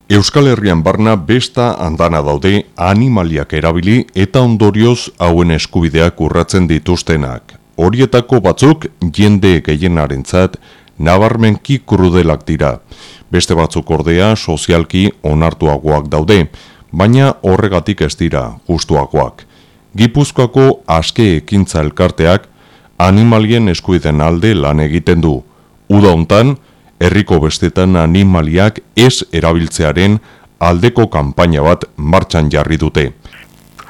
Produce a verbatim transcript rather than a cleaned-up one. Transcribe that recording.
Euskal Herrian barna besta andana daude animaliak erabili eta ondorioz hauen eskubideak urratzen dituztenak. Horietako batzuk jende gehienarentzat nabarmenki krudelak dira. Beste batzuk ordea sozialki onartuagoak daude, baina horregatik ez dira justuagoak. Gipuzkoako Aske Ekintza Elkarteak animalien eskubideen alde lan egiten du. Uda hontan, herriko bestetan animaliak ez erabiltzearen aldeko kanpaina bat martxan jarri dute.